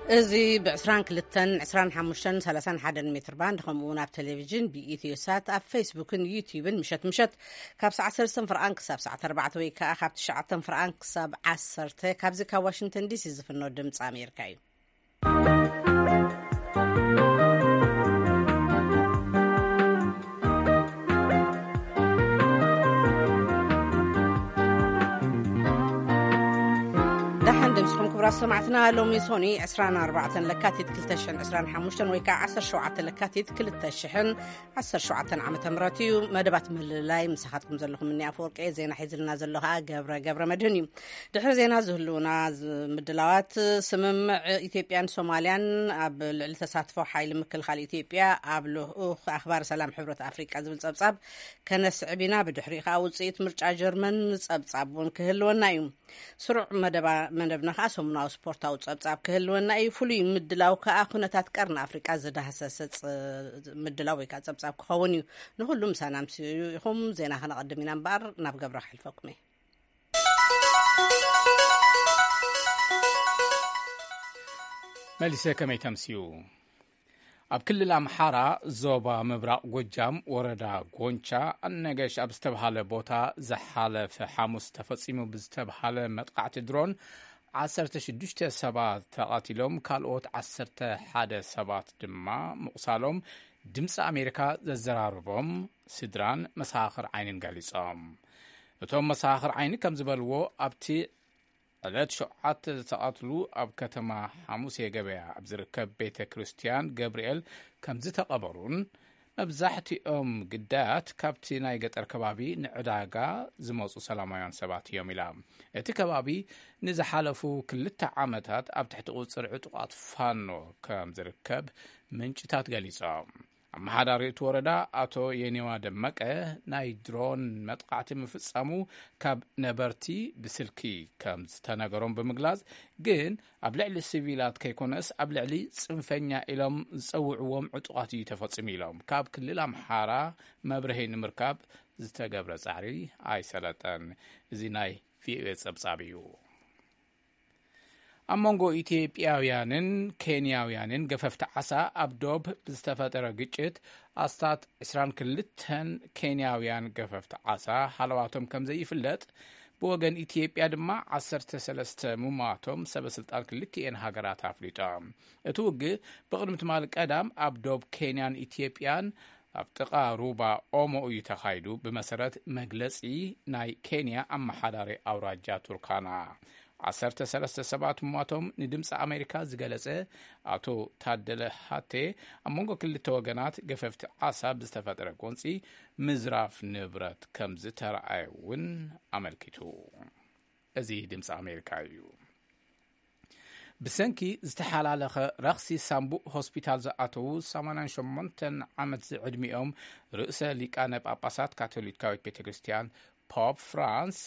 እዚ ብ22፣ 25፣ 31 ሜትር ባንድ፣ ከምኡ እውን ኣብ ቴሌቪዥን ብኢትዮ ሳት፣ ኣብ ፌስቡክን ዩቲዩብን ምሸት ምሸት ካብ ሰዓት ሰለስተ ፍርቓን ክሳብ ሰዓት ኣርባዕተ ወይ ከዓ ካብ ትሽዓተ ፍርቓን ክሳብ ዓሰርተ፣ ካብዚ ካብ ዋሽንግተን ዲሲ ዝፍኖ ድምፂ ኣሜሪካ እዩ። ደሓን ደምስኹም ክቡራት ሰማዕትና። ሎሚ ሶኒ ዕስራን ኣርባዕተን ለካቲት ክልተ ሽሕን ዕስራን ሓሙሽተን ወይ ከዓ ዓሰርተ ሸውዓተ ለካቲት ክልተ ሽሕን ዓሰርተ ሸውዓተን ዓመተ ምህረት እዩ። መደባት ምልላይ ምሳኻትኩም ዘለኹም እኒ ኣፈወርቂ፣ ዜና ሒዝልና ዘሎ ከዓ ገብረ ገብረ መድህን እዩ። ድሕሪ ዜና ዝህልውና ዝ-፣ ምድላዋት፣ ስምምዕ ኢትዮጵያን ሶማልያን ኣብ ልዕሊ ተሳትፎ ሓይሊ ምክልኻል ኢትዮጵያ ኣብ ልኡኽ ኣኽባር ሰላም ሕብረት ኣፍሪቃ ዝብል ጸብጻብ ከነስዕብ ኢና። ብድሕሪኡ ከዓ ውፅኢት ምርጫ ጀርመን ጸብጻብ እውን ክህልወና እዩ። ስሩዕ መደባ-፣ መደብና ከዓ ሰሙናዊ ስፖርታዊ ጸብጻብ ክህልወና እዩ። ፍሉይ ምድላው ከዓ ኩነታት ቀርኒ ኣፍሪቃ ዝዳህሰሰ ጸ-፣ ምድላው ወይ ከዓ ጸብጻብ ክኸውን እዩ። ንኹሉ ምሳና ምስ ኢኹም ዜና ከነቐድም ኢና እምበኣር ናብ ገብረ ክሕልፈኩም እየ። መሊሰ ከመይ ተምስዩ? ኣብ ክልል ኣምሓራ ዞባ ምብራቕ ጎጃም ወረዳ ጎንቻ ኣነገሽ ኣብ ዝተብሃለ ቦታ ዝሓለፈ ሓሙስ ተፈጺሙ ብዝተብሃለ መጥቃዕቲ ድሮን ዓሰርተ ሽዱሽተ ሰባት ተቐቲሎም፣ ካልኦት ዓሰርተ ሓደ ሰባት ድማ ምቑሳሎም ድምፂ ኣሜሪካ ዘዘራረቦም ስድራን መሰኻኽር ዓይንን ገሊጾም። እቶም መሰኻኽር ዓይኒ ከም ዝበልዎ፣ ኣብቲ ዕለት ሸውዓተ ዝተቐትሉ ኣብ ከተማ ሓሙሴ ገበያ ኣብ ዝርከብ ቤተ ክርስቲያን ገብርኤል ከም ዝተቐበሩን፣ መብዛሕትኦም ግዳያት ካብቲ ናይ ገጠር ከባቢ ንዕዳጋ ዝመጹ ሰላማውያን ሰባት እዮም ኢላ። እቲ ከባቢ ንዝሓለፉ ክልተ ዓመታት ኣብ ትሕቲ ቁጽሪ ዕጡቓት ፋኖ ከም ዝርከብ ምንጭታት ገሊጾም። ኣመሓዳሪ እቲ ወረዳ ኣቶ የኔዋ ደመቀ፣ ናይ ድሮን መጥቃዕቲ ምፍጻሙ ካብ ነበርቲ ብስልኪ ከም ዝተነገሮም ብምግላጽ፣ ግን ኣብ ልዕሊ ሲቪላት ከይኮነስ ኣብ ልዕሊ ጽንፈኛ ኢሎም ዝጸውዕዎም ዕጡቓት እዩ ተፈጺሙ ኢሎም። ካብ ክልል ኣምሓራ መብርሂ ንምርካብ ዝተገብረ ጻዕሪ ኣይሰለጠን። እዚ ናይ ቪኦኤ ጸብጻብ እዩ። ኣብ መንጎ ኢትዮጵያውያንን ኬንያውያንን ገፈፍቲ ዓሳ ኣብ ዶብ ብዝተፈጠረ ግጭት ኣስታት ዕስራን ክልተን ኬንያውያን ገፈፍቲ ዓሳ ሃለዋቶም ከም ዘይፍለጥ ብወገን ኢትዮጵያ ድማ ዓሰርተ ሰለስተ ምሟቶም ሰበ ስልጣን ክልቲኤን ሃገራት ኣፍሊጦም። እቲ ውግእ ብቕድሚ ትማሊ ቀዳም ኣብ ዶብ ኬንያን ኢትዮጵያን ኣብ ጥቓ ሩባ ኦሞ እዩ ተኻይዱ፣ ብመሰረት መግለጺ ናይ ኬንያ ኣመሓዳሪ ኣውራጃ ቱርካና። ዓሰርተ ሰለስተ ሰባት ምሟቶም ንድምፂ ኣሜሪካ ዝገለጸ ኣቶ ታደለ ሃቴ፣ ኣብ መንጎ ክልተ ወገናት ገፈፍቲ ዓሳ ብዝተፈጠረ ጎንፂ ምዝራፍ ንብረት ከም ዝተረኣየ እውን ኣመልኪቱ። እዚ ድምፂ ኣሜሪካ እዩ። ብሰንኪ ዝተሓላለኸ ረኽሲ ሳምቡእ ሆስፒታል ዝኣተዉ ሰማንያን ሸሞንተን ዓመት ዝዕድሚኦም ርእሰ ሊቃነ ጳጳሳት ካቶሊካዊት ቤተ ክርስቲያን ፖፕ ፍራንስ፣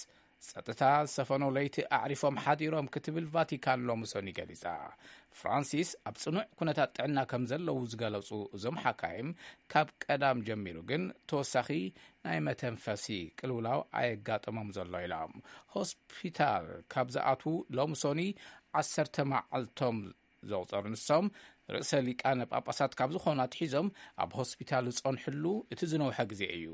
ጸጥታ ዝሰፈኖ ለይቲ ኣዕሪፎም ሓዲሮም ክትብል ቫቲካን ሎሚ ሰኒ ገሊጻ። ፍራንሲስ ኣብ ጽኑዕ ኩነታት ጥዕና ከም ዘለዉ ዝገለጹ እዞም ሓካይም፣ ካብ ቀዳም ጀሚሩ ግን ተወሳኺ ናይ መተንፈሲ ቅልውላው ኣየጋጠሞም ዘሎ ኢሎም። ሆስፒታል ካብ ዝኣትዉ ሎሚ ሰኒ ዓሰርተ መዓልቶም ዘቑጸሩ ንሶም፣ ርእሰ ሊቃነ ጳጳሳት ካብ ዝኾኑ ኣትሒዞም ኣብ ሆስፒታል ዝጸንሕሉ እቲ ዝነውሐ ግዜ እዩ።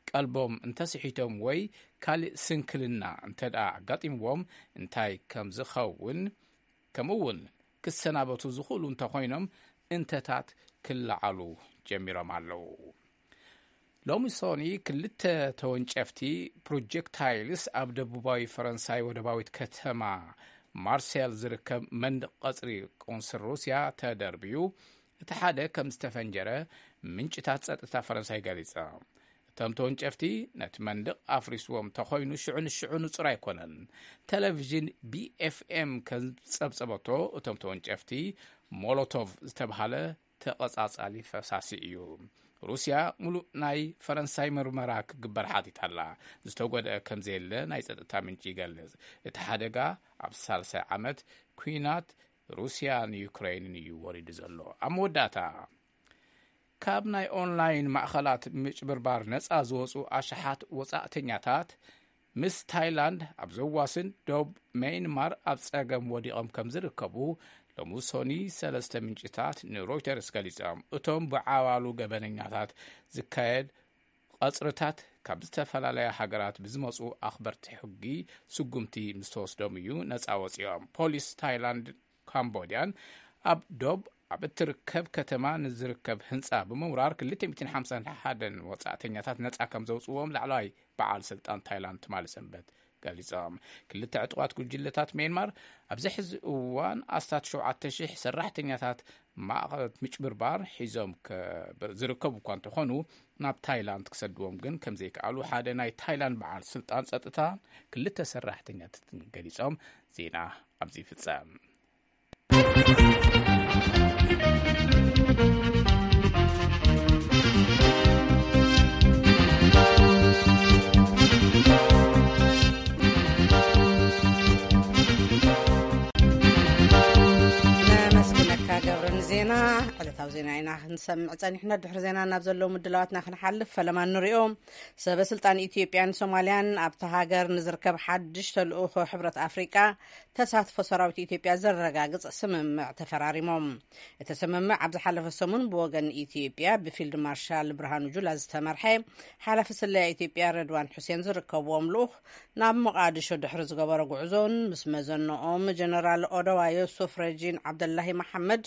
ቀልቦም እንተስሒቶም ወይ ካልእ ስንክልና እንተ ደኣ ኣጋጢምዎም እንታይ ከም ዝኸውን፣ ከምኡ እውን ክሰናበቱ ዝኽእሉ እንተኾይኖም እንተታት ክለዓሉ ጀሚሮም ኣለዉ። ሎሚ ሶኒ ክልተ ተወንጨፍቲ ፕሮጀክታይልስ ኣብ ደቡባዊ ፈረንሳይ ወደባዊት ከተማ ማርሴል ዝርከብ መንደቕ ቀጽሪ ቆንስል ሩስያ ተደርብዩ፣ እቲ ሓደ ከም ዝተፈንጀረ ምንጭታት ጸጥታ ፈረንሳይ ገሊጸ። እቶም ተወንጨፍቲ ነቲ መንደቕ ኣፍሪስዎም ተኾይኑ ሽዑ ንሽዑ ንጹር ኣይኮነን። ቴሌቪዥን ቢ ኤፍ ኤም ከም ጸብጸበቶ፣ እቶም ተወንጨፍቲ ሞሎቶቭ ዝተብሃለ ተቐጻጻሊ ፈሳሲ እዩ። ሩስያ ሙሉእ ናይ ፈረንሳይ ምርመራ ክግበር ሓቲታ ኣላ። ዝተጎድአ ከም ዘየለ ናይ ጸጥታ ምንጪ ይገልጽ። እቲ ሓደጋ ኣብ ሳልሳይ ዓመት ኲናት ሩስያን ዩክሬንን እዩ ወሪዱ ዘሎ። ኣብ መወዳእታ፣ ካብ ናይ ኦንላይን ማእኸላት ምጭብርባር ነጻ ዝወጹ ኣሽሓት ወጻእተኛታት ምስ ታይላንድ ኣብ ዘዋስን ዶብ ሜይንማር ኣብ ጸገም ወዲቖም ከም ዝርከቡ ሎሚ ሰኒ ሰለስተ ምንጭታት ንሮይተርስ ገሊጾም። እቶም ብዓባሉ ገበነኛታት ዝካየድ ቀጽርታት ካብ ዝተፈላለያ ሃገራት ብዝመጹ ኣኽበርቲ ሕጊ ስጉምቲ ምስ ተወስዶም እዩ ነጻ ወጺኦም። ፖሊስ ታይላንድ ካምቦድያን ኣብ ዶብ ኣብ እትርከብ ከተማ ንዝርከብ ህንጻ ብምውራር ክልተ ሚእትን ሓምሳን ሓደን ወጻእተኛታት ነጻ ከም ዘውጽዎም ላዕለዋይ በዓል ስልጣን ታይላንድ ትማሊ ሰንበት ገሊጾም። ክልተ ዕጡቓት ጉጅለታት ሜንማር ኣብዚ ሕዚ እዋን ኣስታት ሸውዓተ ሺሕ ሰራሕተኛታት ማእኸላት ምጭብርባር ሒዞም ዝርከቡ እኳ እንተኾኑ ናብ ታይላንድ ክሰድዎም ግን ከም ዘይከኣሉ ሓደ ናይ ታይላንድ በዓል ስልጣን ጸጥታ ክልተ ሰራሕተኛታትን ገሊጾም። ዜና ኣብዚ ይፍጸም። ነመስግነካ ገብረ ንዜና። ዕለታዊ ዜና ኢና ክንሰምዕ ጸኒሕና። ድሕሪ ዜና ናብ ዘለዉ ምድላዋትና ክንሓልፍ ፈለማ ንሪኦ። ሰበ ስልጣን ኢትዮጵያን ሶማልያን ኣብታ ሃገር ንዝርከብ ሓድሽ ተልእኾ ሕብረት ኣፍሪቃ ተሳትፎ ሰራዊት ኢትዮጵያ ዘረጋግጽ ስምምዕ ተፈራሪሞም። እቲ ስምምዕ ኣብ ዝሓለፈ ሰሙን ብወገን ኢትዮጵያ ብፊልድ ማርሻል ብርሃኑ ጁላ ዝተመርሐ ሓላፊ ስለያ ኢትዮጵያ ረድዋን ሑሴን ዝርከብዎም ልኡኽ ናብ ሞቓድሾ ድሕሪ ዝገበሮ ጉዕዞን ምስ መዘንኦም ጀነራል ኦደዋ ዮሱፍ ረጂን ዓብደላሂ መሓመድ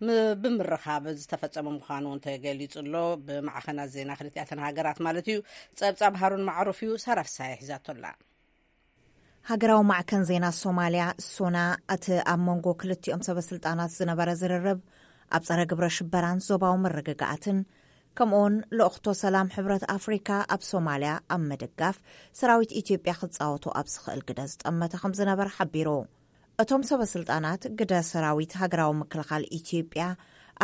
ም-፣ ብምርኻብ ዝተፈጸመ ምዃኑ እውን ተገሊጹ ኣሎ። ብማዕኸናት ዜና ክልቲኣተን ሃገራት ማለት እዩ። ጸብጻብ ሃሩን ማዕሩፍ እዩ። ሳራ ፍሳሐ ሒዛቶ ኣላ። ሃገራዊ ማዕከን ዜና ሶማልያ ሶና፣ እቲ ኣብ መንጎ ክልቲኦም ሰበ ስልጣናት ዝነበረ ዝርርብ ኣብ ጸረ ግብረ ሽበራን ዞባዊ ምርግጋኣትን ከምኡውን ልእኽቶ ሰላም ሕብረት ኣፍሪካ ኣብ ሶማልያ ኣብ ምድጋፍ ሰራዊት ኢትዮጵያ ክጻወቱ ኣብ ዝኽእል ግደ ዝጠመተ ከም ዝነበረ ሓቢሩ። እቶም ሰበ ስልጣናት ግደ ሰራዊት ሃገራዊ ምክልኻል ኢትዮጵያ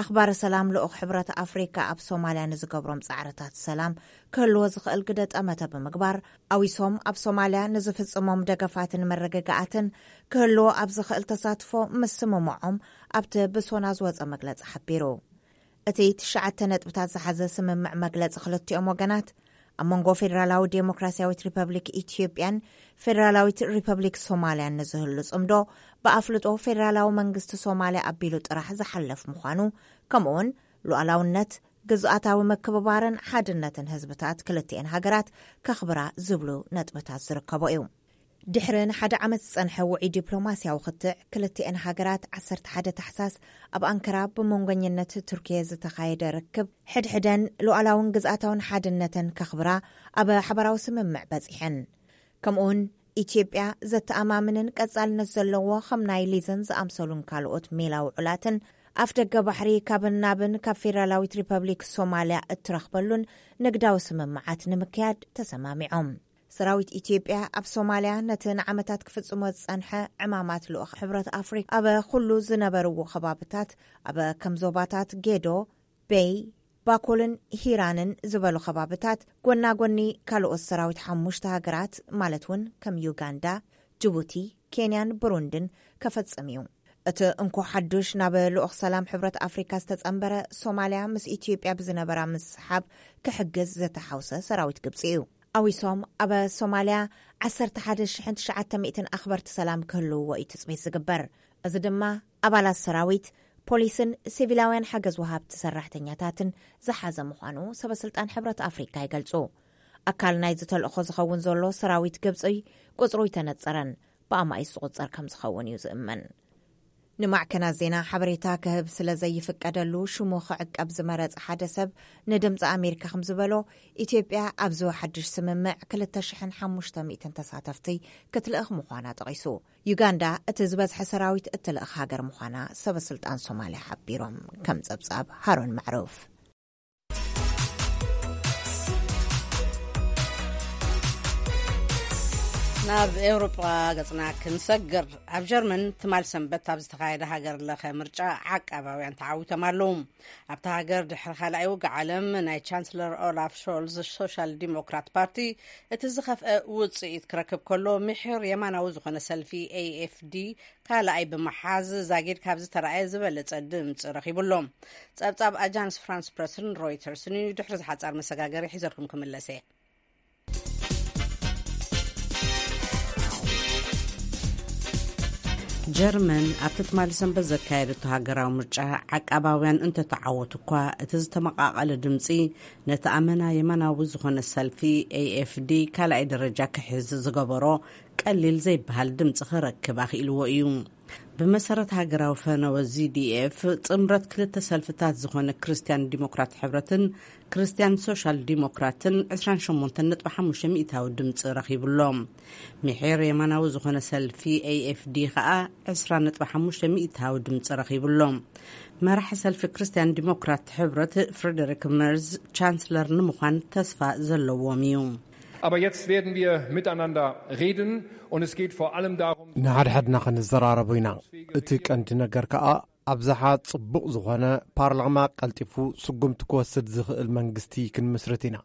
ኣኽባሪ ሰላም ልኡኽ ሕብረት ኣፍሪካ ኣብ ሶማልያ ንዝገብሮም ጻዕርታት ሰላም ክህልዎ ዝኽእል ግደ ጠመተ ብምግባር ኣዊሶም ኣብ ሶማልያ ንዝፍጽሞም ደገፋትን መረጋጋኣትን ክህልዎ ኣብ ዝኽእል ተሳትፎ ምስምምዖም ኣብቲ ብሶና ዝወጸ መግለጺ ሓቢሩ። እቲ ትሽዓተ ነጥብታት ዝሓዘ ስምምዕ መግለጺ ክልቲኦም ወገናት ኣብ መንጎ ፌደራላዊ ዴሞክራሲያዊት ሪፐብሊክ ኢትዮጵያን ፌደራላዊት ሪፐብሊክ ሶማልያን ንዝህሉ ጽምዶ ብኣፍልጦ ፌደራላዊ መንግስቲ ሶማልያ ኣቢሉ ጥራሕ ዝሓለፍ ምዃኑ ከምኡውን ሉዓላውነት፣ ግዝኣታዊ ምክብባርን ሓድነትን ህዝብታት ክልቲኤን ሃገራት ከኽብራ ዝብሉ ነጥብታት ዝርከቦ እዩ። ድሕሪ ንሓደ ዓመት ዝጸንሐ ውዑይ ዲፕሎማስያዊ ክትዕ ክልቲኤን ሃገራት ዓሰርተ ሓደ ታሕሳስ ኣብ ኣንከራ ብመንጎኝነት ቱርኪየ ዝተኻየደ ርክብ ሕድሕደን ሉዓላውን ግዝኣታውን ሓድነተን ከኽብራ ኣብ ሓበራዊ ስምምዕ በጺሐን። ከምኡውን ኢትዮጵያ ዘተኣማምንን ቀጻልነት ዘለዎ ከም ናይ ሊዘን ዝኣምሰሉን ካልኦት ሜላ ውዑላትን ኣፍ ደገ ባሕሪ ካብን ናብን ካብ ፌደራላዊት ሪፐብሊክ ሶማልያ እትረኽበሉን ንግዳዊ ስምምዓት ንምክያድ ተሰማሚዖም። ሰራዊት ኢትዮጵያ ኣብ ሶማልያ ነቲ ንዓመታት ክፍጽሞ ዝጸንሐ ዕማማት ልኡኽ ሕብረት ኣፍሪካ ኣብ ኩሉ ዝነበርዎ ከባብታት ኣብ ከም ዞባታት ጌዶ፣ ቤይ፣ ባኮልን ሂራንን ዝበሉ ከባብታት ጎና ጎኒ ካልኦት ሰራዊት ሓሙሽተ ሃገራት ማለት እውን ከም ዩጋንዳ፣ ጅቡቲ፣ ኬንያን ብሩንድን ከፈጽም እዩ። እቲ እንኮ ሓዱሽ ናብ ልኡኽ ሰላም ሕብረት ኣፍሪካ ዝተጸንበረ ሶማልያ ምስ ኢትዮጵያ ብዝነበራ ምስሓብ ክሕግዝ ዘተሓውሰ ሰራዊት ግብጺ እዩ። ኣዊሶም ኣብ ሶማልያ ዓሰርተ ሓደ ሽሕን ትሽዓተ ሚእትን ኣኽበርቲ ሰላም ክህልውዎ እዩ ትጽቢት ዝግበር። እዚ ድማ ኣባላት ሰራዊት፣ ፖሊስን ሲቪላውያን ሓገዝ ወሃብቲ ሰራሕተኛታትን ዝሓዘ ምዃኑ ሰበ ስልጣን ሕብረት ኣፍሪካ ይገልጹ። ኣካል ናይዚ ተልእኾ ዝኸውን ዘሎ ሰራዊት ግብጺ ቁጽሩ ኣይተነጸረን፣ ብኣማኢት ዝቑጸር ከም ዝኸውን እዩ ዝእመን። ንማዕከናት ዜና ሓበሬታ ክህብ ስለ ዘይፍቀደሉ ሽሙ ክዕቀብ ዝመረጸ ሓደ ሰብ ንድምፂ ኣሜሪካ ከም ዝበሎ፣ ኢትዮጵያ ኣብዚ ሓድሽ ስምምዕ ክልተ ሽሕን ሓሙሽተ ሚእትን ተሳተፍቲ ክትልእኽ ምዃና ጠቒሱ። ዩጋንዳ እቲ ዝበዝሐ ሰራዊት እትልእኽ ሃገር ምዃና ሰበ ስልጣን ሶማልያ ሓቢሮም። ከም ጸብጻብ ሃሩን ማዕሩፍ። ናብ ኤውሮጳ ገጽና ክንሰግር፣ ኣብ ጀርመን ትማል ሰንበት ኣብ ዝተኻየደ ሃገር ለኸ ምርጫ ዓቃባውያን ተዓዊቶም ኣለዉ። ኣብታ ሃገር ድሕሪ ካልኣይ ውግእ ዓለም ናይ ቻንስለር ኦላፍ ሾልዝ ሶሻል ዲሞክራት ፓርቲ እቲ ዝኸፍአ ውጽኢት ክረክብ ከሎ፣ ምሒር የማናዊ ዝኾነ ሰልፊ ኤኤፍዲ ካልኣይ ብምሓዝ ዛጊድ ካብ ዝተራእየ ዝበለጸ ድምጺ ረኺቡ ኣሎ። ጸብጻብ ኣጃንስ ፍራንስ ፕረስን ሮይተርስን እዩ። ድሕሪ ዝሓጻር መሰጋገሪ ሒዘልኩም ክምለስ እየ። ጀርመን ኣብቲ ትማሊ ሰንበት ዘካየደቶ ሃገራዊ ምርጫ ዓቃባውያን እንተተዓወቱ እኳ፣ እቲ ዝተመቓቐለ ድምፂ ነቲ ኣመና የማናዊ ዝኾነ ሰልፊ ኤኤፍዲ ካልኣይ ደረጃ ክሕዝ ዝገበሮ ቀሊል ዘይበሃል ድምፂ ክረክብ ኣኽኢልዎ እዩ። ብመሰረት ሃገራዊ ፈነወ ዚዲኤፍ፣ ጥምረት ክልተ ሰልፍታት ዝኾነ ክርስትያን ዲሞክራት ሕብረትን ክርስትያን ሶሻል ዲሞክራትን ዕስራን ሸሞንተን ነጥቢ ሓሙሽተ ሚእታዊ ድምፂ ረኺቡሎም። ምሒር የማናዊ ዝኾነ ሰልፊ ኤኤፍዲ ኸኣ ዕስራ ነጥቢ ሓሙሽተ ሚእታዊ ድምፂ ረኺቡሎም። መራሒ ሰልፊ ክርስትያን ዲሞክራት ሕብረት ፍሬደሪክ መርዝ ቻንስለር ንምዃን ተስፋ ዘለዎም እዩ። Aber jetzt werden wir miteinander reden und es geht vor allem darum, ንሓድሓድና ክንዘራረቡ ኢና። እቲ ቀንዲ ነገር ከኣ ኣብዝሓ ጽቡቕ ዝኾነ ፓርላማ ቀልጢፉ ስጉምቲ ክወስድ ዝኽእል መንግስቲ ክንምስርት ኢና።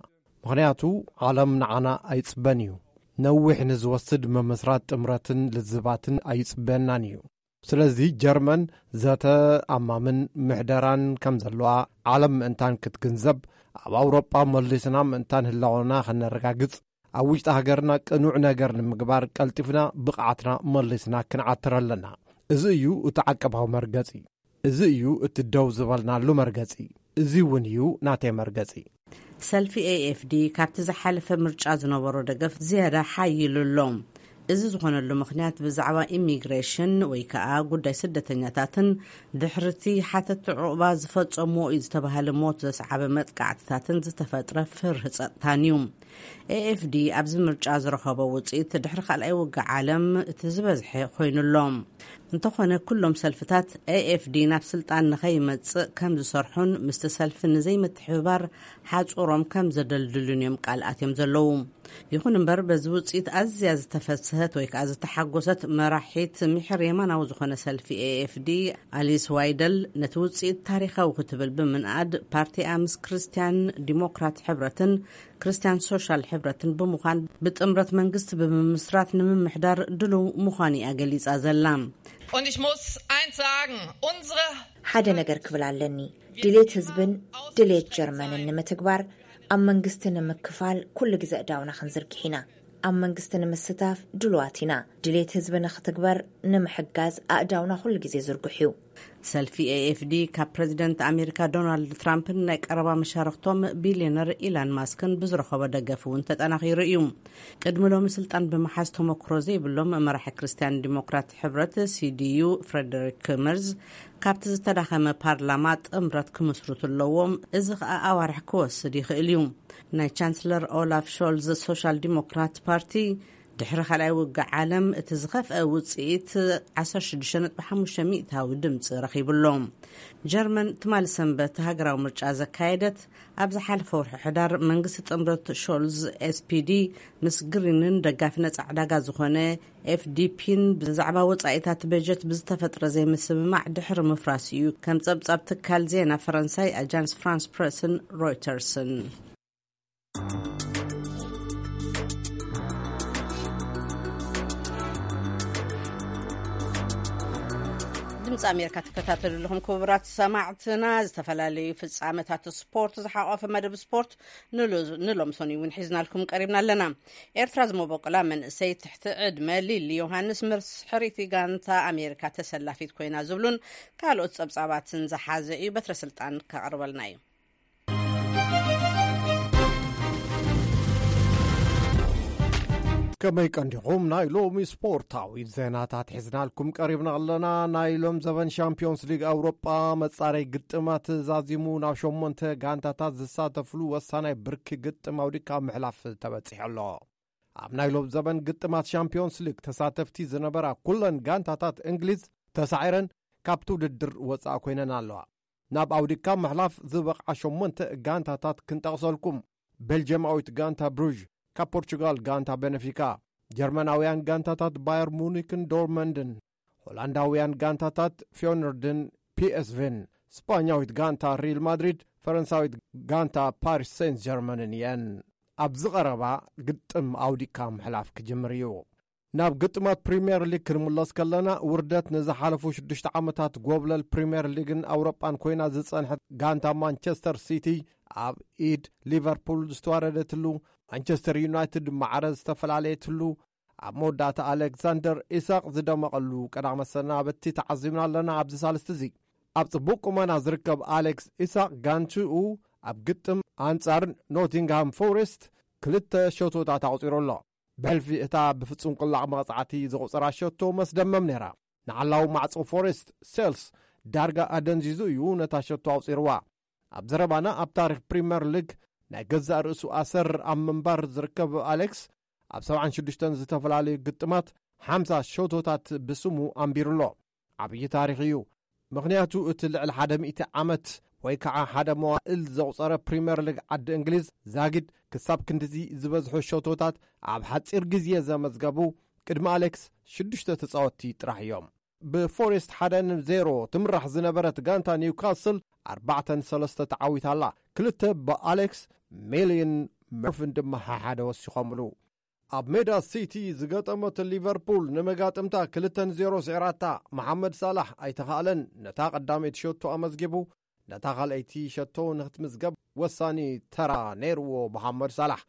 ምኽንያቱ ዓለም ንዓና ኣይጽበን እዩ። ነዊሕ ንዝወስድ ምምስራት ጥምረትን ልዝባትን ኣይጽበየናን እዩ። ስለዚ ጀርመን ዘተ ኣማምን ምሕደራን ከም ዘለዋ ዓለም ምእንታን ክትግንዘብ፣ ኣብ ኣውሮጳ መሊስና ምእንታን ህላወና ከነረጋግጽ፣ ኣብ ውሽጢ ሃገርና ቅኑዕ ነገር ንምግባር ቀልጢፍና ብቕዓትና መሊስና ክንዓትር ኣለና። እዚ እዩ እቲ ዓቀባዊ መርገጺ። እዚ እዩ እቲ ደው ዝበልናሉ መርገጺ። እዚ እውን እዩ ናተይ መርገጺ። ሰልፊ ኤኤፍዲ ካብቲ ዝሓለፈ ምርጫ ዝነበሮ ደገፍ ዝያዳ ሓይሉ ኣሎ። እዚ ዝኾነሉ ምኽንያት ብዛዕባ ኢሚግሬሽን ወይ ከኣ ጉዳይ ስደተኛታትን ድሕርቲ ሓተቲ ዑቕባ ዝፈጸምዎ እዩ ዝተባህለ ሞት ዘስዓበ መጥቃዕትታትን ዝተፈጥረ ፍርህ ጸጥታን እዩ። ኤኤፍዲ ኣብዚ ምርጫ ዝረኸቦ ውጽኢት ድሕሪ ካልኣይ ውግእ ዓለም እቲ ዝበዝሐ ኮይኑ ኣሎ። እንተኾነ ኩሎም ሰልፍታት ኤኤፍዲ ናብ ስልጣን ንኸይመጽእ ከም ዝሰርሑን ምስቲ ሰልፊ ንዘይምትሕብባር ሓጹሮም ከም ዘደልድሉን እዮም ቃል ኣትዮም ዘለዉ። ይኹን እምበር በዚ ውጽኢት ኣዝያ ዝተፈስሀት ወይ ከኣ ዝተሓጎሰት መራሒት ምሕር የማናዊ ዝኾነ ሰልፊ ኤኤፍዲ ኣሊስ ዋይደል ነቲ ውጽኢት ታሪኻዊ ክትብል ብምንኣድ ፓርቲኣ ምስ ክርስትያን ዲሞክራት ሕብረትን ክርስትያን ሶሻል ሕብረትን ብምዃን ብጥምረት መንግስቲ ብምምስራት ንምምሕዳር ድሉው ምዃኑ እያ ገሊጻ ዘላ። Und ich muss eins sagen, unsere ሓደ ነገር ክብል ኣለኒ። ድሌት ህዝብን ድሌት ጀርመንን ንምትግባር ኣብ መንግስቲ ንምክፋል ኩሉ ግዜ ኣእዳውና ክንዝርግሕ ኢና። ኣብ መንግስቲ ንምስታፍ ድሉዋት ኢና። ድሌት ህዝቢ ንክትግበር ንምሕጋዝ ኣእዳውና ኩሉ ግዜ ዝርጉሕ እዩ። ሰልፊ ኤኤፍዲ ካብ ፕረዚደንት ኣሜሪካ ዶናልድ ትራምፕን ናይ ቀረባ መሻርክቶም ቢልዮነር ኢላን ማስክን ብዝረኸቦ ደገፍ እውን ተጠናኺሩ እዩ። ቅድሚ ሎሚ ስልጣን ብምሓዝ ተመክሮ ዘይብሎም መራሒ ክርስትያን ዲሞክራት ሕብረት ሲዲዩ ፍሬደሪክ መርዝ፣ ካብቲ ዝተዳኸመ ፓርላማ ጥምረት ክምስርቱ ኣለዎም። እዚ ኸኣ ኣዋርሕ ክወስድ ይኽእል እዩ። ናይ ቻንስለር ኦላፍ ሾልዝ ሶሻል ዲሞክራት ፓርቲ ድሕሪ ካልኣይ ውግእ ዓለም እቲ ዝኸፍአ ውጽኢት ዓሰርተ ሽዱሽተ ነጥቢ ሓሙሽተ ሚእታዊ ድምፂ ረኺቡ ኣሎ። ጀርመን ትማሊ ሰንበት ሃገራዊ ምርጫ ዘካየደት ኣብ ዝሓለፈ ወርሒ ሕዳር መንግስቲ ጥምረት ሾልዝ ኤስፒዲ ምስ ግሪንን ደጋፊ ነጻ ዕዳጋ ዝኾነ ኤፍዲፒን ብዛዕባ ወጻኢታት በጀት ብዝተፈጥረ ዘይምስምማዕ ድሕሪ ምፍራስ እዩ፣ ከም ጸብጻብ ትካል ዜና ፈረንሳይ ኣጃንስ ፍራንስ ፕረስን ሮይተርስን። ድምፂ ኣሜሪካ ትከታተሉ ኣለኹም ክቡራት ሰማዕትና። ዝተፈላለዩ ፍጻመታት ስፖርት ዝሓቆፈ መደብ ስፖርት ንሎ- ንሎም ሰኑይ እውን ሒዝናልኩም ቀሪብና ኣለና። ኤርትራ ዝመበቆላ መንእሰይ ትሕቲ ዕድመ ሊሊ ዮሃንስ ምስ ሕሪቲ ጋንታ ኣሜሪካ ተሰላፊት ኮይና ዝብሉን ካልኦት ጸብጻባትን ዝሓዘ እዩ። በትረ ስልጣን ከቕርበልና እዩ። ከመይ ቀንዲኹም? ናይ ሎሚ ስፖርታዊ ዜናታት ሒዝናልኩም ቀሪብና ኣለና። ናይ ሎም ዘበን ሻምፒዮንስ ሊግ ኣውሮጳ መጻረይ ግጥማት ዛዚሙ ናብ ሸሞንተ ጋንታታት ዝሳተፍሉ ወሳናይ ብርኪ ግጥም ኣውዲካ ምሕላፍ ተበጺሑ ኣሎ። ኣብ ናይ ሎም ዘበን ግጥማት ሻምፒዮንስ ሊግ ተሳተፍቲ ዝነበራ ኩለን ጋንታታት እንግሊዝ ተሳዒረን ካብቲ ውድድር ወጻኢ ኮይነን ኣለዋ። ናብ ኣውዲካ ምሕላፍ ዝበቕዓ ሸሞንተ ጋንታታት ክንጠቕሰልኩም። ቤልጅየማዊት ጋንታ ብሩዥ፣ ካብ ፖርቹጋል ጋንታ ቤነፊካ፣ ጀርመናውያን ጋንታታት ባየር ሙኒክን ዶርመንድን፣ ሆላንዳውያን ጋንታታት ፊዮነርድን ፒኤስቪን፣ ስጳኛዊት ጋንታ ሪል ማድሪድ፣ ፈረንሳዊት ጋንታ ፓሪስ ሴንት ጀርመንን እየን። ኣብዚ ቀረባ ግጥም ኣውዲካ ምሕላፍ ክጅምር እዩ። ናብ ግጥማት ፕሪምየር ሊግ ክንምለስ ከለና፣ ውርደት ንዝሓለፉ ሽዱሽተ ዓመታት ጎብለል ፕሪምየር ሊግን ኣውሮጳን ኮይና ዝጸንሐት ጋንታ ማንቸስተር ሲቲ ኣብ ኢድ ሊቨርፑል ዝተዋረደትሉ፣ ማንቸስተር ዩናይትድ ማዕረ ዝተፈላለየትሉ፣ ኣብ መወዳእታ ኣሌክሳንደር ኢሳቕ ዝደመቐሉ ቀዳመ ሰናበቲ ተዓዚብና ኣለና። ኣብዚ ሳልስቲ እዚ ኣብ ጽቡቕ ቁመና ዝርከብ ኣሌክስ ኢሳቕ ጋንችኡ ኣብ ግጥም ኣንጻር ኖቲንግሃም ፎሬስት ክልተ ሸቶታት ኣቑጺሩ ኣሎ። ብሕልፊ እታ ብፍጹም ቅላዕ መቕጻዕቲ ዘቑጸራ ሸቶ መስደመም ነይራ። ንዓላዊ ማዕጾ ፎሬስት ሴልስ ዳርጋ ኣደንዚዙ እዩ ነታ ሸቶ ኣቑጺርዋ። ኣብ ዘረባና ኣብ ታሪኽ ፕሪምየር ሊግ ናይ ገዛእ ርእሱ ኣሰር ኣብ ምንባር ዝርከብ ኣሌክስ ኣብ ሰብዓን ሽዱሽተን ዝተፈላለዩ ግጥማት ሓምሳ ሸቶታት ብስሙ ኣንቢሩ ኣሎ። ዓብዪ ታሪኽ እዩ። ምኽንያቱ እቲ ልዕሊ ሓደ ሚእቲ ዓመት ወይ ከዓ ሓደ መዋእል ዘቑጸረ ፕሪምየር ሊግ ዓዲ እንግሊዝ ዛጊድ ክሳብ ክንድዚ ዝበዝሑ ሸቶታት ኣብ ሓጺር ግዜ ዘመዝገቡ ቅድሚ ኣሌክስ ሽዱሽተ ተጻወትቲ ጥራሕ እዮም። ብፎሬስት ሓደ ንዜሮ ትምራሕ ዝነበረት ጋንታ ኒውካስል ኣርባዕተ ንሰለስተ ተዓዊታ ኣላ። ክልተ ብኣሌክስ ሜሊን መርፍን ድማ ሓሓደ ወሲኾምሉ። ኣብ ሜዳ ሲቲ ዝገጠመት ሊቨርፑል ንመጋጥምታ ክልተ ንዜሮ ስዒራታ። መሓመድ ሳላሕ ኣይተኻእለን። ነታ ቀዳመይቲ ሸቶ ኣመዝጊቡ፣ ነታ ካልኣይቲ ሸቶ ንክትምዝገብ ወሳኒ ተራ ነይርዎ። መሓመድ ሳላሕ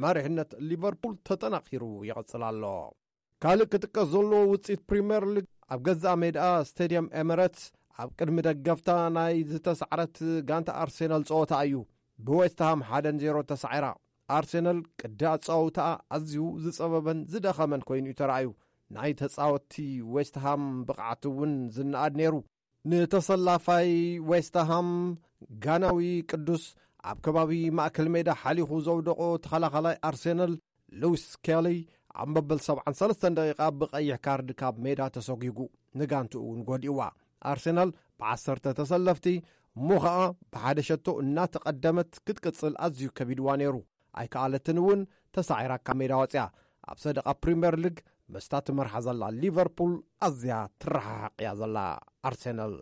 መሪሕነት ሊቨርፑል ተጠናኺሩ ይቕጽል ኣሎ። ካልእ ክጥቀስ ዘለዎ ውጽኢት ፕሪምየር ሊግ ኣብ ገዛእ ሜዳ ስቴድየም ኤምሬትስ ኣብ ቅድሚ ደገፍታ ናይ ዝተሳዕረት ጋንታ ኣርሴናል ጸወታ እዩ ብዌስትሃም ሓደ ንዜሮ ተሳዒራ። ኣርሴናል ቅዲ ኣጻውታኣ ኣዝዩ ዝጸበበን ዝደኸመን ኮይኑ እዩ ተራእዩ። ናይ ተጻወትቲ ዌስትሃም ብቕዓት እውን ዝነኣድ ነይሩ። ንተሰላፋይ ዌስትሃም ጋናዊ ቅዱስ ኣብ ከባቢ ማእከል ሜዳ ሓሊኹ ዘውደቖ ተኸላኻላይ ኣርሴናል ሉዊስ ኬሊ ኣብ መበል ሰብዓን ሰለስተን ደቂቓ ብቐይሕ ካርድ ካብ ሜዳ ተሰጒጉ፣ ንጋንትኡ እውን ጎዲእዋ። ኣርሴናል ብዓሰርተ ተሰለፍቲ እሞ ኸኣ ብሓደ ሸቶ እናተቐደመት ክትቅጽል ኣዝዩ ከቢድዋ ነይሩ። ኣይከኣለትን እውን፣ ተሳዒራ ካብ ሜዳ ወጽያ። ኣብ ሰደቓ ፕሪምየር ሊግ ምስታ ትመርሓ ዘላ ሊቨርፑል ኣዝያ ትረሓሓቕ እያ ዘላ። ኣርሴናል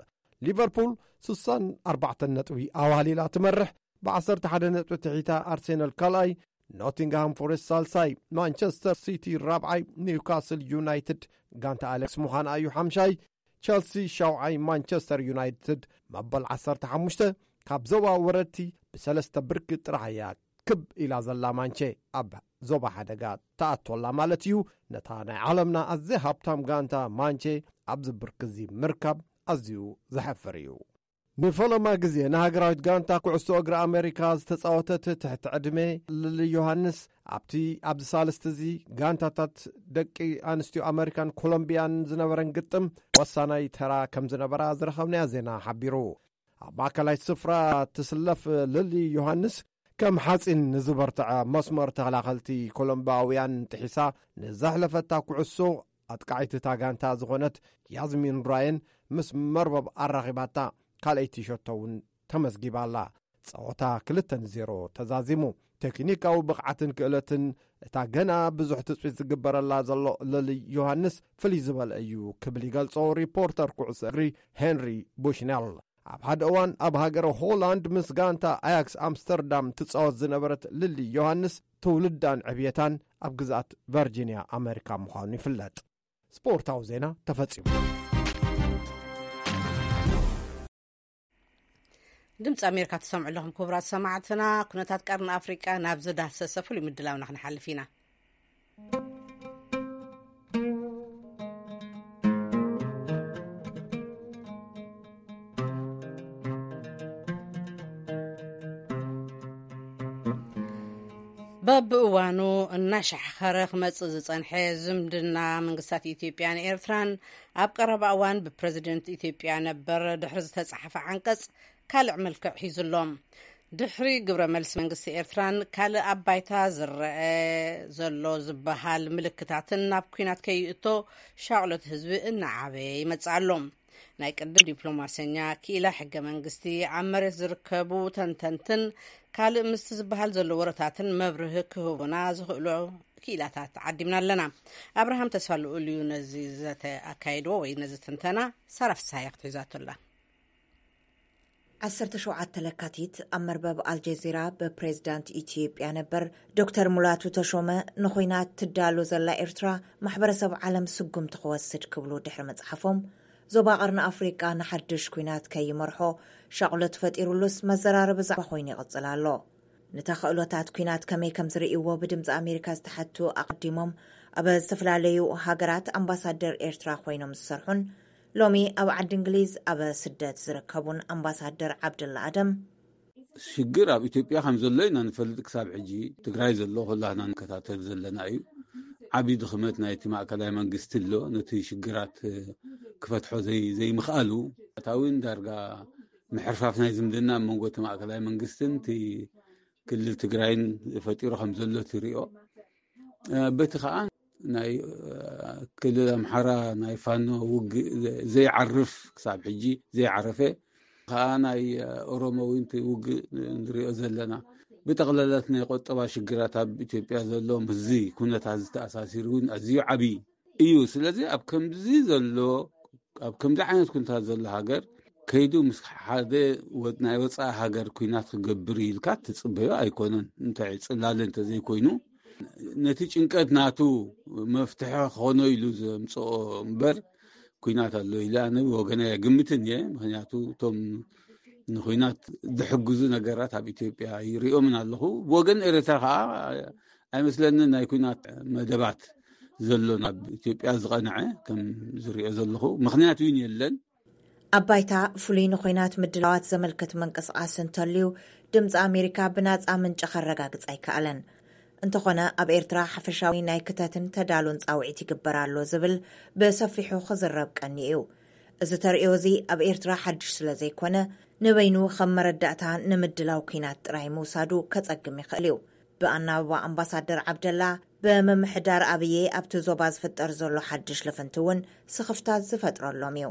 ሊቨርፑል ስሳን ኣርባዕተን ነጥቢ ኣዋሊላ ትመርሕ። ብዓሰርተ ሓደ ነጥቢ ትሒታ ኣርሴናል ካልኣይ፣ ኖቲንግሃም ፎሬስት ሳልሳይ፣ ማንቸስተር ሲቲ ራብዓይ፣ ኒውካስል ዩናይትድ ጋንታ ኣሌክስ ምዃና እዩ ሓምሻይ፣ ቸልሲ ሻውዓይ፣ ማንቸስተር ዩናይትድ መበል ዓሰርተ ሓሙሽተ። ካብ ዞባ ወረድቲ ብሰለስተ ብርኪ ጥራሕ እያ ክብ ኢላ ዘላ ማንቼ ኣብ ዞባ ሓደጋ ተኣቶላ ማለት እዩ። ነታ ናይ ዓለምና ኣዘይ ሃብታም ጋንታ ማንቼ ኣብዚ ብርኪ እዚ ምርካብ ኣዝዩ ዘሐፍር እዩ። ንፈለማ ግዜ ንሃገራዊት ጋንታ ኩዕሶ እግሪ ኣሜሪካ ዝተጻወተት ትሕቲ ዕድመ ልሊ ዮሃንስ ኣብቲ ኣብዚ ሳልስቲ እዚ ጋንታታት ደቂ ኣንስትዮ ኣሜሪካን ኮሎምቢያን ዝነበረን ግጥም ወሳናይ ተራ ከም ዝነበራ ዝረኸብናያ ዜና ሓቢሩ። ኣብ ማእከላይ ስፍራ ትስለፍ ልሊ ዮሃንስ ከም ሓጺን ንዝበርትዐ መስመር ተኸላኸልቲ ኮሎምባውያን ጥሒሳ ንዘሕለፈታ ኩዕሶ ኣጥቃዒት እታ ጋንታ ዝኾነት ያዝሚን ራየን ምስ መርበብ ኣራኺባታ ካልኣይቲ ሸቶ እውን ተመዝጊባ ኣላ። ጸወታ ክልተ ንዜሮ ተዛዚሙ። ቴክኒካዊ ብቕዓትን ክእለትን እታ ገና ብዙሕ ትጽቢት ዝግበረላ ዘሎ ልሊ ዮሃንስ ፍልይ ዝበለ እዩ ክብል ይገልጾ ሪፖርተር ኩዕሶ እግሪ ሄንሪ ቡሽነል። ኣብ ሓደ እዋን ኣብ ሃገረ ሆላንድ ምስ ጋንታ ኣያክስ ኣምስተርዳም ትጻወት ዝነበረት ልሊ ዮሃንስ ትውልዳን ዕብየታን ኣብ ግዝኣት ቨርጂንያ ኣሜሪካ ምዃኑ ይፍለጥ። ስፖርታዊ ዜና ተፈጺሙ። ድምፂ ኣሜሪካ ትሰምዑ ኣለኹም ክቡራት ሰማዕትና። ኩነታት ቀርኒ ኣፍሪቃ ናብ ዝዳሰሰ ፍሉይ ምድላውና ክንሓልፍ ኢና። በብእዋኑ እናሻሕኸረ ክመጽእ ዝጸንሐ ዝምድና መንግስታት ኢትዮጵያን ኤርትራን ኣብ ቀረባ እዋን ብፕረዚደንት ኢትዮጵያ ነበር ድሕሪ ዝተጻሕፈ ዓንቀጽ ካልዕ መልክዕ ሒዙ ኣሎ። ድሕሪ ግብረ መልሲ መንግስቲ ኤርትራን ካልእ ኣብ ባይታ ዝረአ ዘሎ ዝበሃል ምልክታትን ናብ ኲናት ከይእቶ ሻቕሎት ህዝቢ እናዓበየ ይመጽእ ኣሎ። ናይ ቅድም ዲፕሎማሰኛ ክኢላ ሕገ መንግስቲ ኣብ መሬት ዝርከቡ ተንተንትን ካልእ ምስቲ ዝበሃል ዘሎ ወረታትን መብርህ ክህቡና ዝኽእሉ ክኢላታት ዓዲምና ኣለና። ኣብርሃም ተስፋ ልኡል እዩ ነዚ ዘተ ኣካይድዎ ወይ ነዚ ትንተና። ሳራ ፍስሃያ ክትሕዛቶ ኣላ። ዓሰርተ ሸውዓተ ለካቲት ኣብ መርበብ ኣልጀዚራ ብፕሬዝዳንት ኢትዮጵያ ነበር ዶክተር ሙላቱ ተሾመ ንኹናት ትዳሎ ዘላ ኤርትራ ማሕበረሰብ ዓለም ስጉምቲ ክወስድ ክብሉ ድሕሪ መጽሓፎም፣ ዞባ ቀርኒ ኣፍሪቃ ንሓድሽ ኲናት ከይመርሖ ሻቕሎት ፈጢሩሉስ መዘራረቢ ዛዕባ ኮይኑ ይቕጽል ኣሎ። ንተኽእሎታት ኲናት ከመይ ከም ዝርእይዎ ብድምፂ ኣሜሪካ ዝተሓቱ ኣቐዲሞም ኣብ ዝተፈላለዩ ሃገራት ኣምባሳደር ኤርትራ ኮይኖም ዝሰርሑን ሎሚ ኣብ ዓዲ እንግሊዝ ኣብ ስደት ዝርከቡን ኣምባሳደር ዓብደላ ኣደም፣ ሽግር ኣብ ኢትዮጵያ ከም ዘሎ ኢና ንፈልጥ። ክሳብ ሕጂ ትግራይ ዘሎ ኩላህና ንከታተል ዘለና እዩ። ዓብዪ ድኽመት ናይቲ ማእከላይ መንግስቲ ኣሎ፣ ነቲ ሽግራት ክፈትሖ ዘይምኽኣሉ። እታ እውን ዳርጋ ምሕርፋፍ ናይ ዝምድና ኣብ መንጎ እቲ ማእከላይ መንግስትን እቲ ክልል ትግራይን ፈጢሩ ከም ዘሎ ትሪኦ። በቲ ከዓ ናይ ክልል ኣምሓራ ናይ ፋኖ ውግእ ዘይዓርፍ፣ ክሳብ ሕጂ ዘይዓረፈ ከዓ ናይ ኦሮሞ እውን ውግእ ንሪኦ ዘለና። ብጠቕላላት ናይ ቆጠባ ሽግራት ኣብ ኢትዮጵያ ዘሎ ምስዚ ኩነታት ዝተኣሳሲሩ እውን ኣዝዩ ዓብዪ እዩ። ስለዚ ኣብ ከምዚ ዘሎ ኣብ ከምዚ ዓይነት ኩነታት ዘሎ ሃገር ከይዱ ምስ ሓደ ናይ ወፃኢ ሃገር ኩናት ክገብር ኢልካ ትፅበዮ ኣይኮነን። እንታይ ፅላለ እንተዘይኮይኑ ነቲ ጭንቀት ናቱ መፍትሒ ክኾኖ ኢሉ ዘምፅኦ እምበር ኩናት ኣሎ ኢለ ኣነ ወገና የግምትን እየ። ምክንያቱ እቶም ንኩናት ዝሕግዙ ነገራት ኣብ ኢትዮጵያ ይሪኦምን ኣለኹ። ብወገን ኤርትራ ከዓ ኣይመስለንን ናይ ኩናት መደባት ዘሎ ናብ ኢትዮጵያ ዝቐንዐ ከም ዝሪኦ ዘለኹ ምክንያት እውን የለን። ኣብ ባይታ ፍሉይ ንኩናት ምድላዋት ዘመልክት ምንቅስቃስ እንተልዩ ድምፂ ኣሜሪካ ብናፃ ምንጭ ከረጋግፅ ኣይከኣለን። እንተኾነ ኣብ ኤርትራ ሓፈሻዊ ናይ ክተትን ተዳሎን ፃውዒት ይግበር ኣሎ ዝብል ብሰፊሑ ክዝረብ ቀኒ እዩ። እዚ ተርእዮ እዚ ኣብ ኤርትራ ሓድሽ ስለ ዘይኮነ ንበይኑ ከም መረዳእታ ንምድላው ኩናት ጥራይ ምውሳዱ ከፀግም ይኽእል እዩ። ብኣናብባ ኣምባሳደር ዓብደላ ብምምሕዳር ኣብየ ኣብቲ ዞባ ዝፍጠር ዘሎ ሓድሽ ልፍንቲ እውን ስኽፍታት ዝፈጥረሎም እዩ።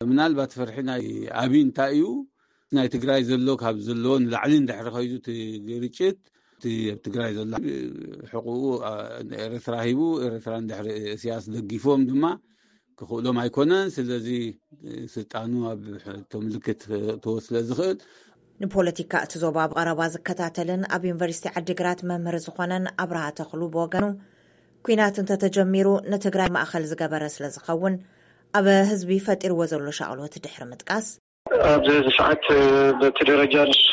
ምናልባት ፍርሒ ናይ ኣብይ እንታይ እዩ? ናይ ትግራይ ዘሎ ካብ ዘለዎ ንላዕሊ እንድሕሪ ከይዱ እቲ ግርጭት እቲ ኣብ ትግራይ ዘሎ ሕቁኡ ኤርትራ ሂቡ ኤርትራ እንድሕሪ እስያስ ደጊፎም ድማ ክኽእሎም ኣይኮነን። ስለዚ ስልጣኑ ኣብ ምልክት ክእትዎ ስለ ዝኽእል ንፖለቲካ እቲ ዞባ ብቐረባ ዝከታተልን ኣብ ዩኒቨርሲቲ ዓዲግራት መምህር ዝኾነን ኣብርሃ ተኽሉ ብወገኑ ኩናት እንተተጀሚሩ ንትግራይ ማእኸል ዝገበረ ስለ ዝኸውን ኣብ ህዝቢ ፈጢርዎ ዘሎ ሻቕሎት ድሕሪ ምጥቃስ፣ ኣብዚ ሰዓት በቲ ደረጃ ንሱ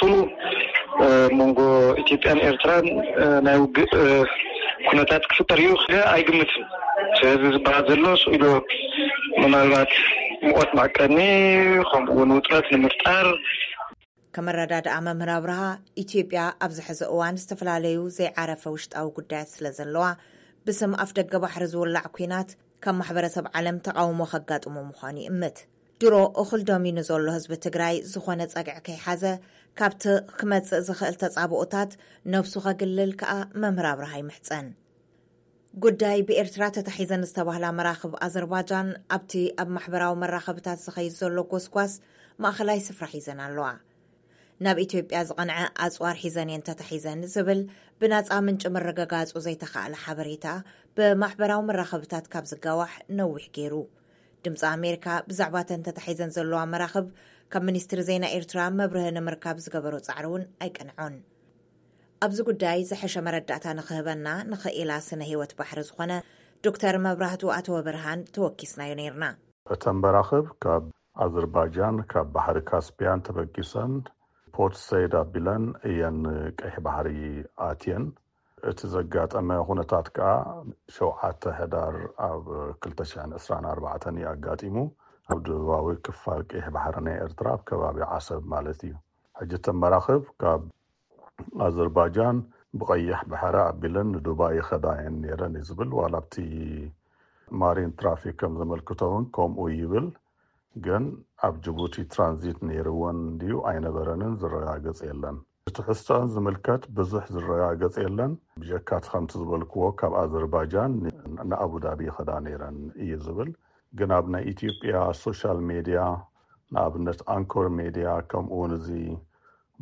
መንጎ ኢትዮጵያን ኤርትራን ናይ ውግእ ኩነታት ክፍጠር እዩ ኣይግምትን። ህዝቢ ዝበሃል ዘሎ ስኢሉ ምናልባት ሙቐት መዕቀኒ ከምኡ እውን ውጥረት ንምፍጣር ከመረዳድኣ መምህር ኣብርሃ ኢትዮጵያ ኣብዚ ሕዚ እዋን ዝተፈላለዩ ዘይዓረፈ ውሽጣዊ ጉዳያት ስለ ዘለዋ ብስም ኣፍ ደገ ባሕሪ ዝውላዕ ኩናት ካብ ማሕበረሰብ ዓለም ተቃውሞ ከጋጥሞ ምዃኑ ይእምት። ድሮ እኹል ደሚኑ ዘሎ ህዝቢ ትግራይ ዝኾነ ጸግዒ ከይሓዘ ካብቲ ክመጽእ ዝኽእል ተጻብኦታት ነብሱ ከግልል ከኣ መምህር ኣብርሃ ይምሕጸን። ጉዳይ ብኤርትራ ተታሒዘን ዝተባህላ መራኽብ ኣዘርባጃን ኣብቲ ኣብ ማሕበራዊ መራኸብታት ዝኸይድ ዘሎ ጎስጓስ ማእኸላይ ስፍራ ሒዘን ኣለዋ። ናብ ኢትዮጵያ ዝቐንዐ ኣጽዋር ሒዘን እየን ተታሒዘን ዝብል ብናጻ ምንጪ ምርግጋጹ ዘይተኻእለ ሓበሬታ ብማሕበራዊ መራኸብታት ካብ ዝጋዋሕ ነዊሕ ገይሩ። ድምፂ ኣሜሪካ ብዛዕባ እተን ተታሒዘን ዘለዋ መራኽብ ካብ ሚኒስትሪ ዜና ኤርትራ መብርሂ ንምርካብ ዝገበሮ ፃዕሪ እውን ኣይቀንዖን። ኣብዚ ጉዳይ ዝሐሸ መረዳእታ ንኽህበና ንኽኢላ ስነ ህይወት ባሕሪ ዝኾነ ዶክተር መብራህቱ ኣተወብርሃን ተወኪስናዮ ነይርና። እተን መራኽብ ካብ ኣዘርባጃን ካብ ባሕሪ ካስፒያን ተበጊሰን ፖርት ሰይድ ኣቢለን እየን ቀይሕ ባሕሪ ኣትየን። እቲ ዘጋጠመ ኩነታት ከኣ ሸውዓተ ሕዳር ኣብ ክልተ ሽሕን ዕስራን ኣርባዕተን እዩ ኣጋጢሙ። ኣብ ደቡባዊ ክፋል ቀይሕ ባሕሪ ናይ ኤርትራ ኣብ ከባቢ ዓሰብ ማለት እዩ። ሕጂ እተን መራኽብ ካብ ኣዘርባጃን ብቐይሕ ባሕሪ ኣቢለን ንዱባይ ይኸዳ እየን ነይረን እዩ ዝብል። ዋላ ኣብቲ ማሪን ትራፊክ ከም ዘመልክቶ እውን ከምኡ ይብል። ግን ኣብ ጅቡቲ ትራንዚት ነይርወን ድዩ ኣይነበረንን ዝረጋገጽ የለን። ትሕዝቶኣን ዝምልከት ብዙሕ ዝረጋገጽ የለን። ብጀካ እቲ ከምቲ ዝበልክዎ ካብ ኣዘርባጃን ንኣቡዳቢ ይኸዳ ነይረን እዩ ዝብል። ግን ኣብ ናይ ኢትዮጵያ ሶሻል ሜድያ ንኣብነት ኣንኮር ሜድያ ከምኡ እውን እዚ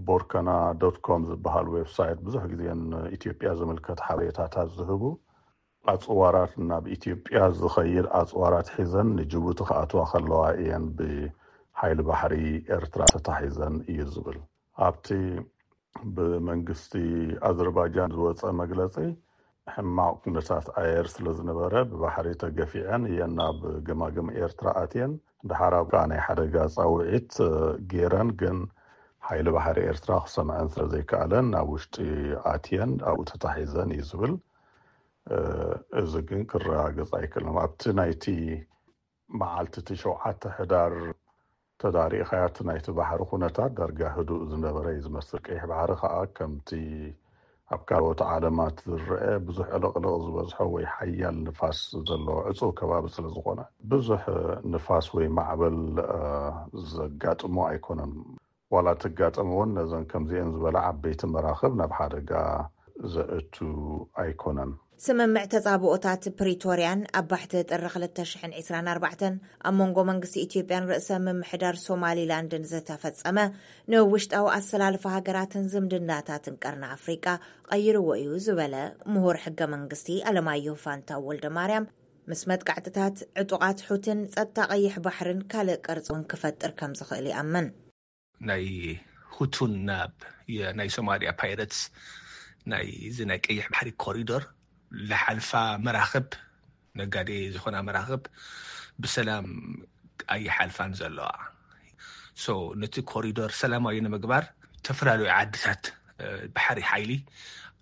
ቦርከና ዶት ኮም ዝበሃል ዌብሳይት ብዙሕ ግዜ ንኢትዮጵያ ዝምልከት ሓበሬታታት ዝህቡ ኣፅዋራት ናብ ኢትዮጵያ ዝኸይድ ኣፅዋራት ሒዘን ንጅቡቲ ክኣትዋ ከለዋ እየን ብሓይሊ ባሕሪ ኤርትራ ተታሒዘን እዩ ዝብል። ኣብቲ ብመንግስቲ ኣዘርባጃን ዝወፀ መግለፂ ሕማቕ ኩነታት ኣየር ስለ ዝነበረ ብባሕሪ ተገፊዐን እየን ናብ ገማግም ኤርትራ ኣትየን። ደሓር ኣብ ከዓ ናይ ሓደጋ ፃውዒት ገይረን ግን ሓይሊ ባሕሪ ኤርትራ ክሰምዐን ስለ ዘይከኣለን ናብ ውሽጢ ኣትየን ኣብኡ ተታሒዘን እዩ ዝብል። እዚ ግን ክረጋገጽ ኣይክእልን። ኣብቲ ናይቲ መዓልቲ እቲ ሸውዓተ ሕዳር ተዳሪእኻያ፣ እቲ ናይቲ ባሕሪ ኩነታት ዳርጋ ህዱእ ዝነበረ እዩ ዝመስል። ቀይሕ ባሕሪ ከዓ ከምቲ ኣብ ካልኦት ዓለማት ዝረአ ብዙሕ ዕልቕልቕ ዝበዝሖ ወይ ሓያል ንፋስ ዘለዎ ዕጹው ከባቢ ስለ ዝኾነ፣ ብዙሕ ንፋስ ወይ ማዕበል ዘጋጥሞ ኣይኮነን። ዋላ ተጋጠመ እውን ነዘን ከምዚአን ዝበላ ዓበይቲ መራኽብ ናብ ሓደጋ ዘእቱ ኣይኮነን። ስምምዕ ተጻብኦታት ፕሪቶርያን ኣብ ባሕቲ ጥሪ ክልተ ሽሕን ዕስራን ኣርባዕተን ኣብ መንጎ መንግስቲ ኢትዮጵያን ርእሰ ምምሕዳር ሶማሊላንድን ዝተፈጸመ፣ ንውሽጣዊ ኣሰላልፋ ሃገራትን ዝምድናታትን ቀርኒ ኣፍሪቃ ቀይርዎ እዩ ዝበለ ምሁር ሕገ መንግስቲ ኣለማየሁ ፋንታው ወልደ ማርያም፣ ምስ መጥቃዕትታት ዕጡቓት ሑትን ጸጥታ ቀይሕ ባሕርን ካልእ ቅርጺ እውን ክፈጥር ከም ዝኽእል ይኣምን። ናይ ሁቱን ናብ የ-፣ ናይ ሶማሊያ ፓይረትስ ናይ እዚ ናይ ቀይሕ ባሕሪ ኮሪዶር ለሓልፋ መራኽብ፣ ነጋዴ ዝኾና መራኽብ ብሰላም ኣይሓልፋን ዘለዋ። ሶ ነቲ ኮሪዶር ሰላማዊ ንምግባር ዝተፈላለዩ ዓድታት፣ እ፣ ባሕሪ ሓይሊ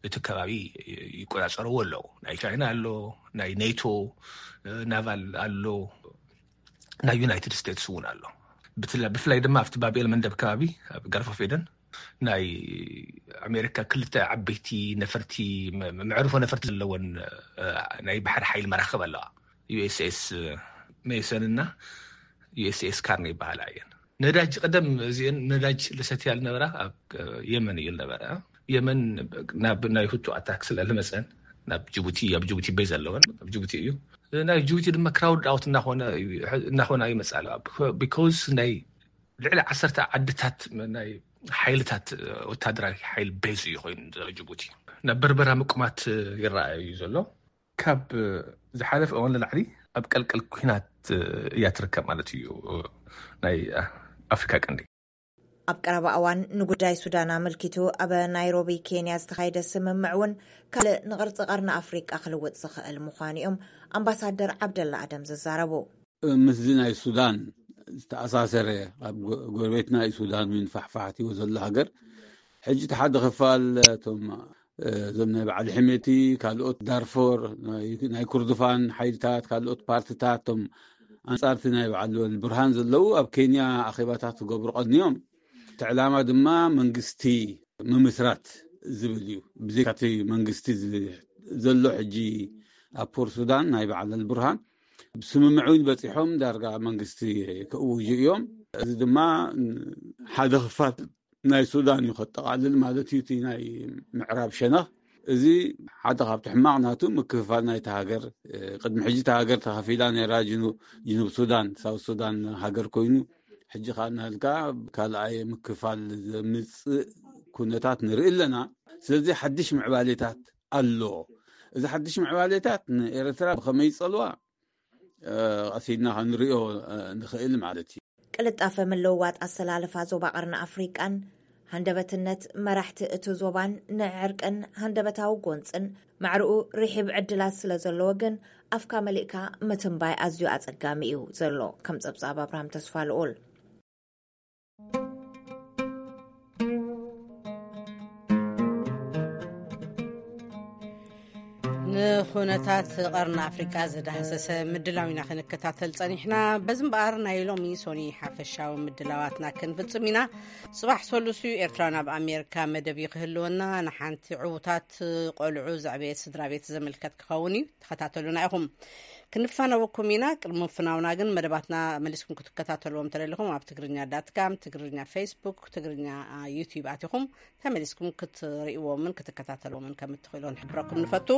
እቲ ከባቢ ይቆጻጸርዎ ኣለዉ። ናይ ቻይና ኣሎ፣ ናይ ኔቶ፣ እ፣ ናቫል ኣሎ፣ ናይ ዩናይትድ ስቴትስ እውን ኣሎ። ብትላ-፣ ብፍላይ ድማ ኣብቲ ባብኤል መንደብ ከባቢ ኣብ ጋልፍ ኦፍ ኤደን ናይ ኣሜሪካ ክልተ ዓበይቲ ነፈርቲ፣ መ-፣ መዕርፎ ነፈርቲ ዘለወን፣ እ፣ ናይ ባሕሪ ሓይሊ መራኽብ ኣለዋ። ዩ ኤስ ኤስ ሜሰን እና ዩ ኤስ ኤስ ካርኒ ይበሃላ እየን። ነዳጅ ቀደም እዚአን ነዳጅ ልሰትያ ልነበራ ኣብ የመን እዩ ልነበረ። የመን ናብ ናይ ሁቱ ኣታክ ስለ ልመፀን ናብ ጅቡቲ፣ ኣብ ጅቡቲ ቤዝ ኣለወን፣ ኣብ ጅቡቲ እዩ። ናይ ጅቡቲ ድማ ክራውድ ኣውት እናኾነ እዩ፣ እናኾነ ይመፅእ ኣሎ። ቢኮዝ ናይ ልዕሊ ዓሰርተ ዓድታት ናይ ሓይልታት ወታደራዊ ሓይል ቤዝ እዩ ኮይኑ ዘሎ ጅቡቲ። ናብ በርበራ ምቁማት ይረኣዩ እዩ ዘሎ። ካብ ዝሓለፈ እዋን ንላዕሊ ኣብ ቀልቀል ኲናት እያ ትርከብ ማለት እዩ ናይ ኣፍሪካ ቀንዲ። ኣብ ቀረባ እዋን ንጉዳይ ሱዳን ኣመልኪቱ ኣብ ናይሮቢ ኬንያ ዝተኻየደ ስምምዕ እውን ካልእ ንቅርጺ ቀርኒ ኣፍሪቃ ክልውጥ ዝኽእል ምዃኑ እዮም ኣምባሳደር ዓብደላ ኣደም ዝዛረቡ። ምስዚ ናይ ሱዳን ዝተኣሳሰረ፣ ኣብ ጎ-፣ ጎረቤትና እዩ ሱዳን፣ እውን ፋሕፋሕቲዎ ዘሎ ሃገር። ሕጂ እቲ ሓደ ክፋል እቶም፣ እ፣ እዞም ናይ በዓል ሕሜቲ፣ ካልኦት ዳርፎር፣ ናይ፣ ናይ ኩርዱፋን ሓይልታት፣ ካልኦት ፓርትታት፣ እቶም ኣንጻርቲ ናይ በዓል ብርሃን ዘለዉ ኣብ ኬንያ ኣኼባታት ክገብሩ ቀንዮም። እቲ ዕላማ ድማ መንግስቲ ምምስራት ዝብል እዩ። ብዘይካ እቲ መንግስቲ ዝ-፣ ዘሎ ሕጂ ኣብ ፖር ሱዳን ናይ በዓል ብርሃን ብስምምዕ እውን በፂሖም ዳርጋ መንግስቲ ክእውጁ እዮም። እዚ ድማ ሓደ ክፋል ናይ ሱዳን እዩ ከጠቓልል ማለት እዩ። እቲ ናይ ምዕራብ ሸነኽ እዚ ሓደ ካብቲ ሕማቕ ናቱ ምክፍፋል ናይቲ ሃገር፣ እ፣ ቅድሚ ሕጂ እታ ሃገር ተኸፊላ ነይራ፣ ጅኑ-፣ ጅኑብ ሱዳን፣ ሳውት ሱዳን ሃገር ኮይኑ፣ ሕጂ ከኣ እናሃልካ ካልኣይ ምክፋል ዘምጽእ ኩነታት ንርኢ ኣለና። ስለዚ ሓድሽ ምዕባሌታት ኣሎ። እዚ ሓድሽ ምዕባሌታት ንኤርትራ ብኸመይ ይጸልዋ፣ እ፣ ቀሲና ክንሪኦ፣ እ፣ ንኽእል ማለት እዩ። ቅልጣፈ ምልውዋጥ ኣሰላልፋ ዞባ ቀርኒ ኣፍሪቃን ሃንደበትነት መራሕቲ እቲ ዞባን ንዕርቅን ሃንደበታዊ ጎንጽን ማዕርኡ ርሒብ ዕድላት ስለ ዘለዎ ግን ኣፍካ መሊእካ ምትንባይ ኣዝዩ ኣጸጋሚ እዩ ዘሎ። ከም ጸብጻብ ኣብርሃም ተስፋ ልኡል። ንኹነታት ቀርኒ ኣፍሪቃ ዝዳህሰሰ ምድላው ኢና ክንከታተል ጸኒሕና። በዚ እምበኣር ናይ ሎሚ ሶኒ ሓፈሻዊ ምድላዋትና ክንፍጽም ኢና። ጽባሕ ሰሉስ እዩ፣ ኤርትራውያን ኣብ ኣሜሪካ መደብ እዩ ክህልወና። ንሓንቲ ዕዉታት ቆልዑ ዘዕበየት ስድራ ቤት ዘመልከት ክኸውን እዩ። ተኸታተሉና ኢኹም። ክንፋነወኩም ኢና። ቅድሚ ምፍናውና ግን መደባትና መሊስኩም ክትከታተልዎም ተደሊኹም ኣብ ትግርኛ ዳት ካም፣ ትግርኛ ፌስቡክ፣ ትግርኛ፣ አ፣ ዩቲዩብ ኣቲኹም ተመሊስኩም ክትርእይዎምን ክትከታተልዎምን ከም እትኽእሉ ንሕብረኩም ንፈቱ።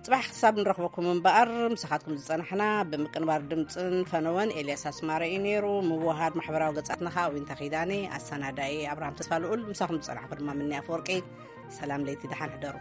ጽባሕ ክሳብ ንረኽበኩም እምበኣር ምሳኻትኩም ዝጸናሕና ብምቅንባር ድምጽን ፈነወን ኤልያስ ኣስማረ እዩ ነይሩ። ምውሃድ ማሕበራዊ ገጻትና ኸኣ ዊንታ ኪዳነ፣ ኣሰናዳኢ ኣብርሃም ተስፋ ልኡል፣ ምሳኹም ዝጸናሕኩ ድማ ምንያ ኣፈወርቂ። ሰላም ለይቲ፣ ደሓን ሕደሩ።